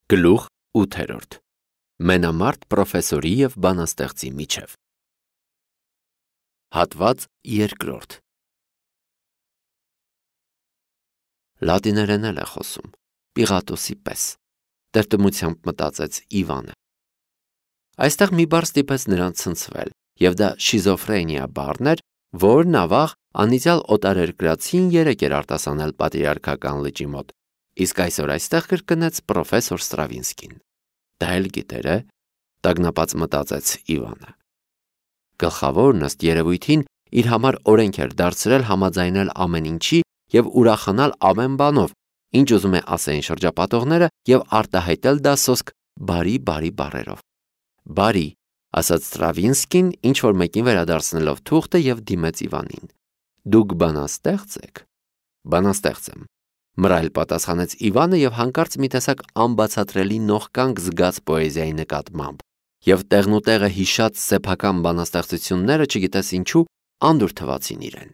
Գլուխ 8. Մենամարտ պրոֆեսորի և բանաստեղծի միջև։ Հատված 2. Լատիներեն է խոսում, Պիղատոսի պես, տրտմությամբ մտածեց Իվանը։ Այստեղ մի բառ ստիպեց նրան ցնցվել, և դա շիզոֆրենիա բառն էր, որն ավաղ անիծյալ օտարերկրացին երեկ էր արտասանել պատրիարքական լճի մոտ, իսկ այսօր այստեղ կրկնեց պրոֆեսոր Ստրավինսկին։ Դա էլ գիտեր է, տագնապած մտածեց Իվանը։ Գլխավորն ըստ երևույթին իր համար օրենք էր դարձրել համաձայնել ամեն ինչի և ուրախանալ ամեն բանով, ինչ ուզում է ասեին շրջապատողները, և արտահայտել դա սոսկ բարի բառերով։ Բարի, ասաց Ստրավինսկին, ինչ-որ մեկին վերադարձնելով թուղթը և դիմեց Իվանին։ Դուք բանաստեղծ եք։ Բանաստեղծ եմ, մռայլ պատասխանեց Իվանը և հանկարծ մի տեսակ անբացատրելի նողկանք զգաց պոեզիայի նկատմամբ, և տեղնուտեղը հիշած սեփական բանաստեղծությունները, չգիտես ինչու, անդուր թվացին իրեն։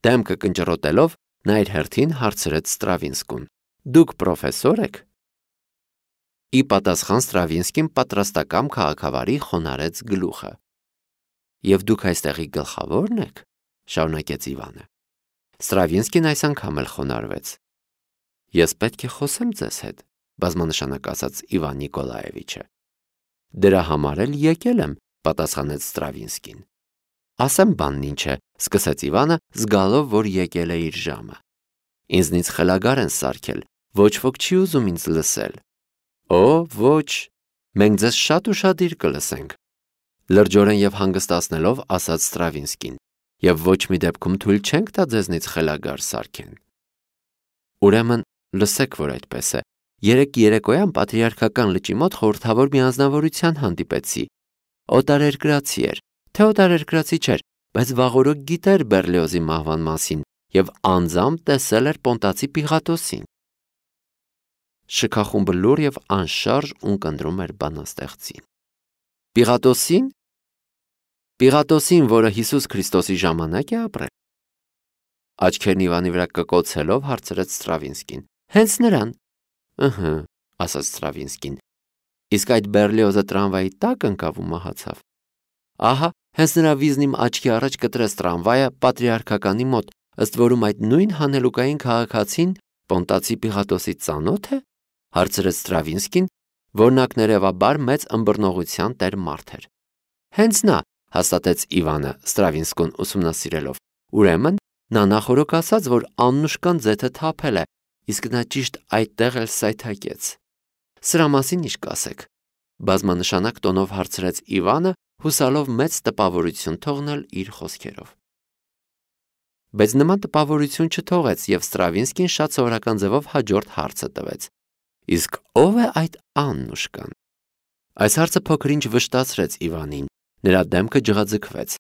Դեմքը կնճռոտելով, նա իր հերթին հարցրեց Ստրավինսկուն. Դուք պրոֆեսոր եք։ Ի պատասխան Ստրավինսկին պատրաստակամ քաղաքավարի խոնարհեց գլուխը։ Եվ դուք այստեղի գլխավորն եք, շարունակեց Իվանը։ Ստրավինսկին այս անգամ էլ խոնարհվեց։ Ես պետք է խոսեմ ձեզ հետ, բազմանշանակ ասաց Իվան Նիկոլաևիչը։ Դրա համար էլ եկել եմ, պատասխանեց Ստրավինսկին։ Ասեմ բանն ինչ է, սկսեց Իվանը, զգալով, որ եկել է իր ժամը։ Ինձնից խելագար են սարքել, ոչ ոք չի ուզում ինձ լսել։ Օ, ոչ, մենք ձեզ շատ ուշադիր կլսենք, լրջորեն և հանգստացնելով ասաց Ստրավինսկին, և ոչ մի դեպքում թույլ չենք տա ձեզնից խելագար սարքեն։ Ուրեմն լսեք, որ այդպես է։ Երեկ երեկոյան պատրիարքական լճի մոտ խորհրդավոր մի անձնավորության հանդիպեցի։ Օտարերկրացի էր, թե օտարերկրացի չէր, բայց վաղօրոք գիտեր Բեռլիոզի մահվան մասին և անձամբ տեսել էր Պոնտացի Պիղատոսին։ Շքախումբը լուռ և անշարժ ունկնդրում էր բանաստեղծին։ Պիղատոսին։ Պիղատոսին, որը Հիսուս Քրիստոսի ժամանակ է ապրել։ Աչքերն Իվանի վրա կկոցելով հարցրեց Ստրավինսկին։ Հենց նրան։ Ըհը, ասաց Ստրավինսկին։ Իսկ այդ Բեռլիոզը տրամվայի տակ ընկավ ու մահացավ։ Ահա, հենց նրա վիզն իմ աչքի առաջ կտրեց տրամվայը պատրիարքականի մոտ, ըստ որում այդ նույն հանելուկային քաղաքացին Պոնտացի Պիղատոսի ծանո՞թ է, հարցրեց Ստրավինսկին, որնակներևաբար մեծ ըմբռնողության տեր մարդ էր։ Հենց նա, հաստատեց Իվանը, Ստրավինսկուն ուսումնասիրելով։ Ուրեմն նա նախօրոք ասաց, որ Աննուշկան ձեթը թափել է, իսկ նա ճիշտ այդտեղ էլ սայթաքեց։ Սրա մասին ինչ կասեք, բազմանշանակ տոնով հարցրեց Իվանը, հուսալով մեծ տպավորություն թողնել իր խոսքերով։ Բայց նման տպավորություն չթողեց, և Ստրավինսկին շատ սովորական ձևով հաջորդ հարցը տվեց։ Իսկ ո՞վ է այդ Աննուշկան։ Այս հարցը փոքր-ինչ վշտացրեց Իվանին, նրա դեմքը ջղաձգվեց։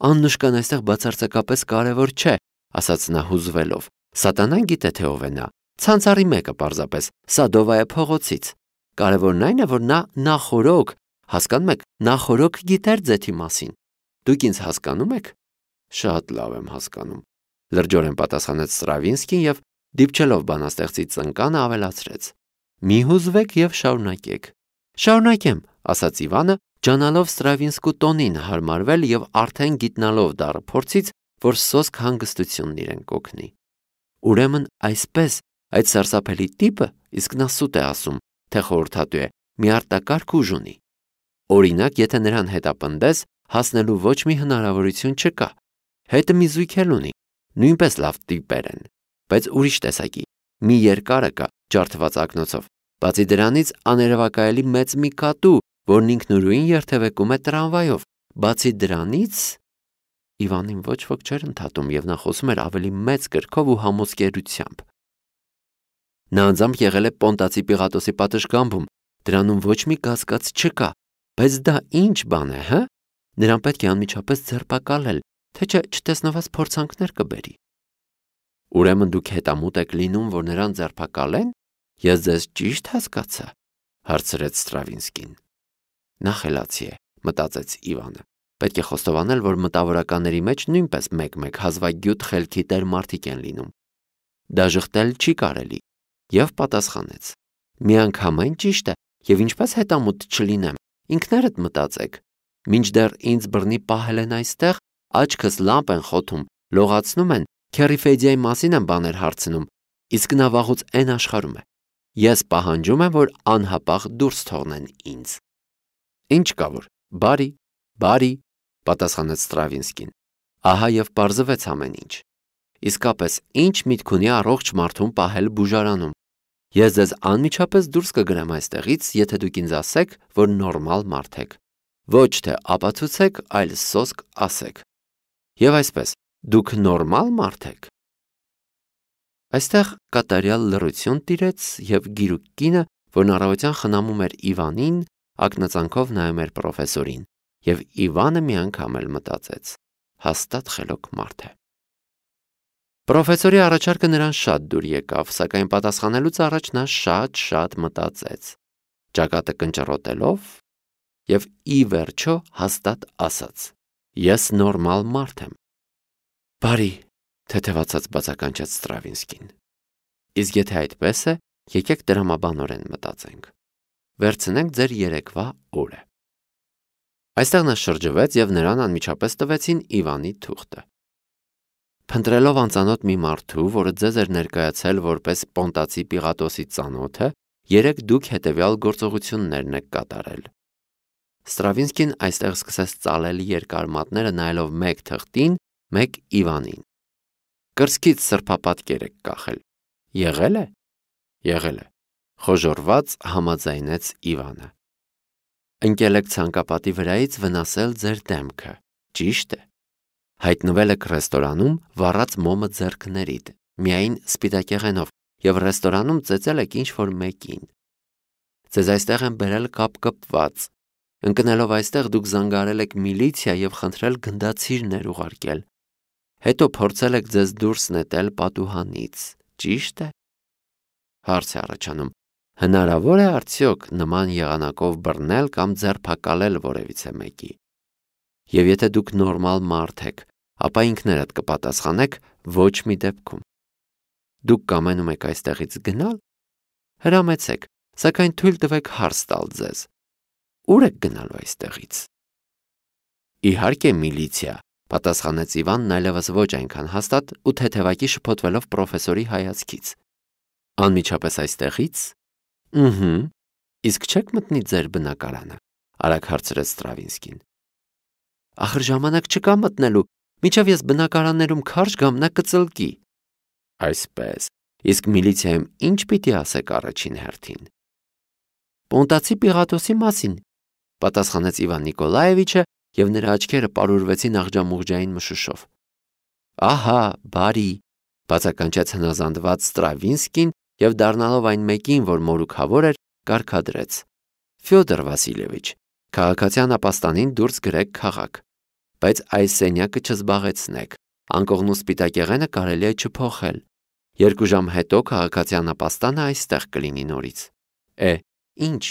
Աննուշկան այստեղ բացարձակապես կարևոր չէ, ասաց նա հուզվելով։ Սատանան գիտե, թե ով է նա։ Ցանցառի մեկը պարզապես, Սադովայա փողոցից։ Կարևորն այն է, որ նա նախօրոք, հասկանում եք, նախօրոք գիտեր ձեթի մասին։ Դուք ինձ հասկանում եք։ Շատ լավ եմ հասկանում, լրջորեն պատասխանեց Ստրավինսկին և դիպչելով բանաստեղծի ծնկանը ավելացրեց. Մի հուզվեք և շարունակեք։ Շարունակեմ, ասաց Իվանը, ջանալով Ստրավինսկու տոնին հարմարվել և արդեն գիտնալով դառը փորձից, որ սոսկ հանգստությունն իրեն կօգնի։ Ուրեմն այսպես, այդ սարսափելի տիպը, իսկ նա սուտ է ասում, թե խորհրդատու է, մի արտակարգ ուժ ունի։ Օրինակ, եթե նրան հետապնդես, հասնելու ոչ մի հնարավորություն չկա։ Հետը մի զույգ էլ ունի, նույնպես լավ տիպեր են, բայց ուրիշ տեսակի, մի երկարը կա, ջարդված ակնոցով։ Բացի դրանից աներևակայելի մեծ մի կատու, որն ինքնուրույն երթևեկում է տրամվայով։ Բացի դրանից Իվանին ոչ ոք չէր ընդհատում, և նա խոսում էր ավելի մեծ կրքով ու համոզկերությամբ։ Նա անձամբ եղել է Պոնտացի Պիղատոսի պատշգամբում, դրանում ոչ մի կասկած չկա, բայց դա ինչ բան է, հը։ Նրան պետք է անմիջապես ձերբակալել, թե չէ չտեսնված փորձանքներ կբերի։ Ուրեմն դուք հետամուտ եք լինում, որ նրան ձերբակալեն։ Ես ձեզ ճիշտ հասկացա, հարցրեց Ստրավինսկին։ Նա խելացի է, մտածեց Իվանը։ Պետք է խոստովանել, որ մտավորականների մեջ նույնպես մեկ-մեկ հազվագյուտ խելքի տեր մարդիկ են լինում։ Դա ժխտել չի կարելի, և պատասխանեց. Միանգամայն ճիշտ է, եւ ինչպես հետամուտ չլինեմ, ինքներդ մտածեք։ Մինչդեռ ինձ բռնի պահել են այստեղ, աչքս լամպ են խոթում, լողացնում են, Քերիֆեդիայի մասին են բաներ հարցնում, իսկ նա վաղուց այն աշխարհում է։ Ես պահանջում եմ, որ անհապաղ դուրս թողնեն ինձ։ Ինչ կա որ, բարի, պատասխանեց Ստրավինսկին։ Ահա եւ պարզվեց ամեն ինչ։ Իսկապես, ինչ միտք ունի առողջ մարդուն պահել բուժարանում։ Ես ձեզ անմիջապես դուրս կգրեմ այստեղից, եթե դուք ինձ ասեք, որ նորմալ մարդ եք։ Ոչ թե ապացուցեք, այլ սոսկ ասեք։ Եվ այսպես, դուք նորմալ մարդ եք։ Այստեղ կատարյալ լռություն տիրեց եւ գիրուկ կինը, որն առավոտյան խնամում էր Իվանին, ակնածանքով նայում էր պրոֆեսորին, եւ Իվանը միանգամ էլ մտածեց. հաստատ խելոք մարդ է։ Պրոֆեսորի առաջարկը նրան շատ դուր եկավ, սակայն պատասխանելուց առաջ նա շատ մտածեց, ճակատը կնճռոտելով եւ ի վերջո հաստատ ասաց. ես նորմալ մարդ եմ։ Բարի, թեթևացած բացականչեց Ստրավինսկին։ Իսկ եթե այդպես է, եկեք դրամաբանորեն մտածենք։ Վերցնենք ձեր երեկվա օրը։ Այստեղ նա շրջվեց եւ նրան անմիջապես տվեցին Իվանի թուղթը։ Փնտրելով անծանոթ մի մարդու, որը ձեզ էր ներկայացել որպես Պոնտացի Պիղատոսի ծանոթը, երեք դուք հետևյալ գործողություններն եք կատարել։ Ստրավինսկին այստեղ սկսեց ծալել երկար մատները նայելով մեկ թղթին, մեկ Իվանին։ Կրծքից սրբապատկեր եք կախել։ Եղել է։ Խոժորված համաձայնեց Իվանը։ Ընկել եք ցանկապատի վրայից վնասել ձեր դեմքը։ Ճիշտ է։ Հայտնվել եք ռեստորանում վառած մոմը ձեռքներիդ, միայն սպիտակեղենով, եւ ռեստորանում ծեծել եք ինչ-որ մեկին։ Ձեզ այստեղ են բերել կապկպված։ Ընկնելով այստեղ դուք զանգարել եք միլիցիա եւ խնդրել գնդացիրներ ուղարկել։ Հետո փորձել եք ձեզ դուրս նետել պատուհանից։ Ճիշտ է։ Հարց է առաջանում. հնարավոր է արդյոք նման եղանակով բռնել կամ ձերբակալել որևիցե մեկի։ Եվ եթե դուք նորմալ մարդ եք, ապա ինքներդ կպատասխանեք ոչ մի դեպքում։ Դուք կամենում եք այստեղից գնալ։ Հրամեցեք, սակայն թույլ տվեք հարց տալ ձեզ։ Ուր եք գնալու այստեղից։ Իհարկե միլիցիա, պատասխանեց Իվանն այլևս ոչ այնքան հաստատ ու թեթևակի շփոթվելով պրոֆեսորի հայացքից։ Անմիջապես այստեղից։ Իսկ չեք մտնի ձեր բնակարանը, արագ հարցրեց Ստրավինսկին։ Ախր ժամանակ չկա մտնելու, մինչև ես բնակարաններում քարշ գամ, նա կծլկի։ Այսպես, իսկ միլիցիայում ինչ պիտի ասեք առաջին հերթին։ Պոնտացի Պիղատոսի մասին, պատասխանեց Իվան Նիկոլաևիչը, եւ նրա աչքերը պարուրվեցին աղջամուղջային մշուշով։ Ահա, բարի, բացականչեց հնազանդված Ստրավինսկին եւ դառնալով այն մեկին, որ մորուքավոր էր, կարգադրեց. Ֆյոդոր Վասիլևիչ, քաղաքացիան ապաստանին դուրս գրեք քաղաք, բայց այս սենյակը չզբաղեցնեք, անկողնու սպիտակեղենը կարելի է չփոխել։ 2 ժամ հետո քաղաքացիան ապաստանը այստեղ կլինի նորից։ Ինչ,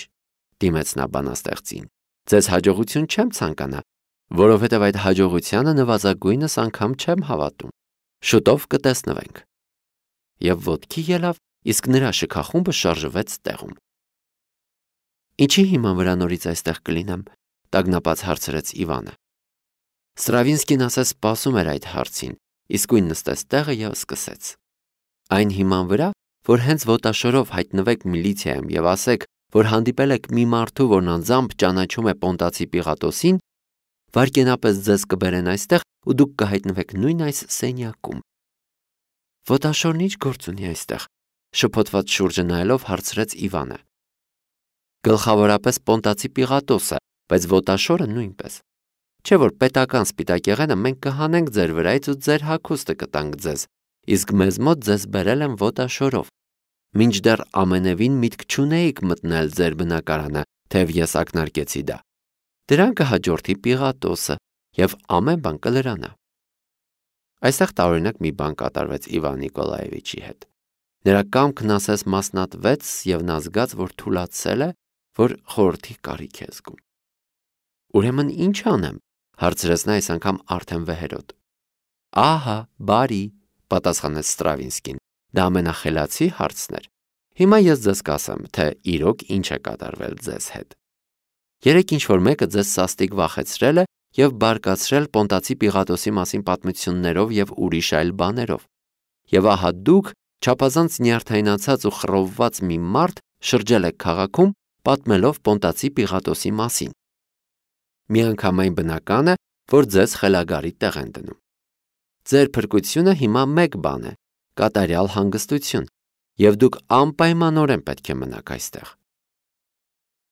դիմեց նա բանաստեղծին, ձեզ հաջողություն չեմ ցանկանա, որովհետև այդ հաջողությանը նվազագույնս անգամ չեմ հավատում։ Շուտով կտեսնվենք։ Եվ ոտքի ելավ, իսկ նրա շքախումբը շարժվեց տեղում։ Ինչի հիման վրա նորից այստեղ կլինեմ, տագնապած հարցրեց Իվանը։ Ստրավինսկին ասես սպասում էր այդ հարցին, իսկույն նստեց տեղը եւ սկսեց։ Այն հիման վրա, որ հենց ոտաշորով հայտնվեք միլիցիայում եւ ասեք, որ հանդիպել եք մի մարդու, որն անձամբ ճանաչում է Պոնտացի Պիղատոսին, վարկենապես ձեզ կբերեն այստեղ ու դուք կհայտնվեք նույն այս սենյակում։ Ոտաշորն ինչ գործ ունի այստեղ, շփոթված շուրջը նայելով հարցրեց Իվանը։ Գլխավորապես Պոնտացի Պիղատոսը, բայց ոտաշորը նույնպես։ Չէ որ պետական սպիտակեղենը մենք կհանենք ձեր վրայից ու ձեր հագուստը կտանք ձեզ, իսկ մեզ մոտ ձեզ բերել են ոտաշորով։ Մինչդեռ ամենևին միտք չունեիք մտնել ձեր բնակարանը, թեև ես ակնարկեցի դա։ Դրան կհաջորդի Պիղատոսը եւ ամեն բան կլրանա։ Այստեղ տարօրինակ մի բան կատարվեց Իվան Նիկոլաևիչի հետ։ Նրա կամքն ասես մասնատվեց եւ նա զգաց, որ թուլացել է, որ խորհրդի կարիք է զգում։ Ուրեմն ինչ անեմ, հարցրեց նա այս անգամ արդեն վեհերոտ։ Ահա, բարի, պատասխանեց Ստրավինսկին։ Դա ամենախելացի հարցն էր։ Հիմա ես ձեզ կասեմ, թե իրոք ինչ է կատարվել ձեզ հետ։ Երեք ինչ-որ մեկը ձեզ սաստիկ վախեցրել է և բարկացրել Պոնտացի Պիղատոսի մասին պատմություններով և ուրիշ այլ բաներով։ Եվ ահա դուք, չափազանց նյարդայնացած ու խռովված մի մարդ, շրջել եք քաղաքում, պատմելով Պոնտացի Պիղատոսի մասին։ Միանգամայն բնական է, որ ձեզ խելագարի տեղ են դնում։ Ձեր փրկությունը հիմա մեկ բան է՝ կատարյալ հանգստություն, և դուք անպայմանորեն պետք է մնաք այստեղ։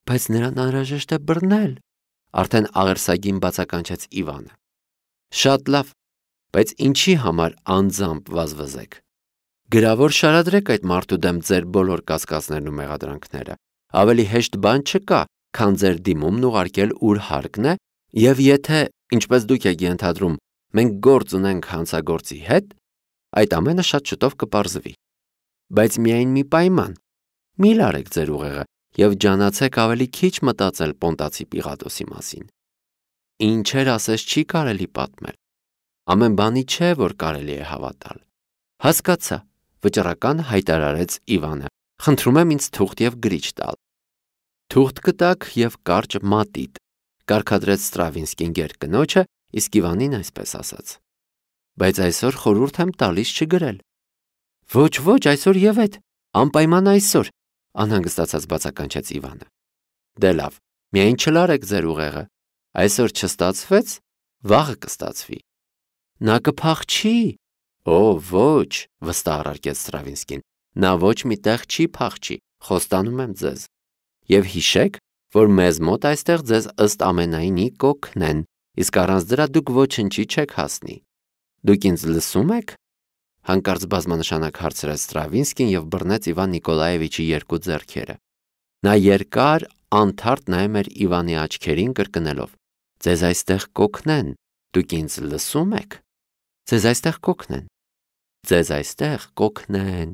Բայց նրան անհրաժեշտ է բռնել, արդեն աղերսագին բացականչեց Իվանը։ Շատ լավ, բայց ինչի համար անձամբ վազվզեք։ Գրավոր շարադրեք այդ մարդու դեմ ձեր բոլոր կասկածներն ու մեղադրանքները։ Ավելի հեշտ բան չկա, քան ձեր դիմումն ուղարկել ուր հարկն է, և եթե, ինչպես դուք եք ենթադրում, մենք գործ ունենք հանցագործի հետ, այդ ամենը շատ շուտով կպարզվի։ Բայց միայն մի պայման՝ մի լարեք ձեր ուղեղը և ջանացեք ավելի քիչ մտածել Պոնտացի Պիղատոսի մասին։ Ինչեր ասես չի կարելի պատմել։ Ամեն բանի չէ, որ կարելի է հավատալ։ Հասկացա, վճռական հայտարարեց Իվանը։ Խնդրում եմ ինձ թուղթ և գրիչ տալ։ Թուղթ կտակ և կարճ մատիտ, կարգադրեց Ստրավինսկին գերկնոջը, իսկ Իվանին այսպես ասաց. Բայց այսօր խորհուրդ եմ տալիս չգրել։ Ոչ, այսօր և այդ, անպայման այսօր, անհանգստացած բացականչեց Իվանը։ Դե լավ, միայն չլարեք ձեր ուղեղը, այսօր չստացվեց, վաղը կստացվի։ Նա կփախչի։ Օ, ոչ, վստահ առարկեց Ստրավինսկին, նա ոչ մի տեղ չի փախչի, խոստանում եմ ձեզ։ Եվ հիշեք, որ մեզ մոտ այստեղ ձեզ ըստ ամենայնի կօգնեն, իսկ առանց դրա դուք ոչնչի չեք հասնի։ Դուք ինձ լսում եք։ Հանկարծ բազմանշանակ հարցրեց Ստրավինսկին և բռնեց Իվան Նիկոլաևիչի երկու ձեռքերը։ Նա երկար, անթարթ նայում էր Իվանի աչքերին, կրկնելով. Ձեզ այստեղ կօգնեն, դուք ինձ լսում եք։ Ձեզ այստեղ կօգնեն։ Ձեզ այստեղ կօգնեն։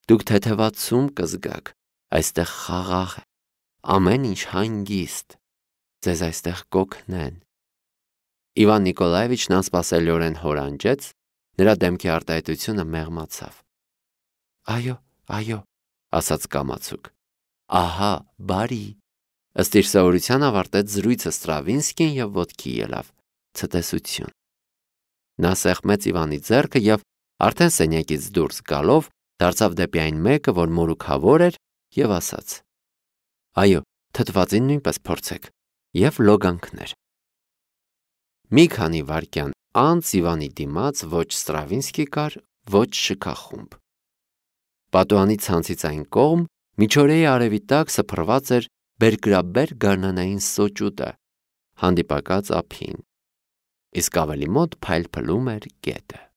Դուք թեթևացում կզգաք, այստեղ խաղաղ է, ամեն ինչ հանգիստ։ Ձեզ այստեղ կօգնեն։ Իվան Նիկոլաևիչն անսպասելիորեն հորանջեց, նրա դեմքի արտահայտությունը մեղմացավ։ Այո, ասաց կամացուկ։ Ահա, բարի։ Ըստ իր սովորության ավարտեց զրույցը Ստրավինսկին և ոտքի ելավ։ Ցտեսություն։ Նա սեղմեց Իվանի ձեռքը և արդեն սենյակից դուրս գալով դարձավ դեպի այն մեկը, որ մորուքավոր էր, և ասաց. Այո, թթվածին նույնպես փորձեք, և լոգանքներ։ Մի քանի վայրկյան անց Իվանի դիմաց ոչ Ստրավինսկի կար, ոչ շքախումբ։ Պատուհանի ցանցից այն կողմ միջօրեի արևի տակ սփռված էր բերկրաբեր գարնանային սոճուտը, հանդիպակաց ափին, իսկ ավելի մոտ փայլփլում էր գետը։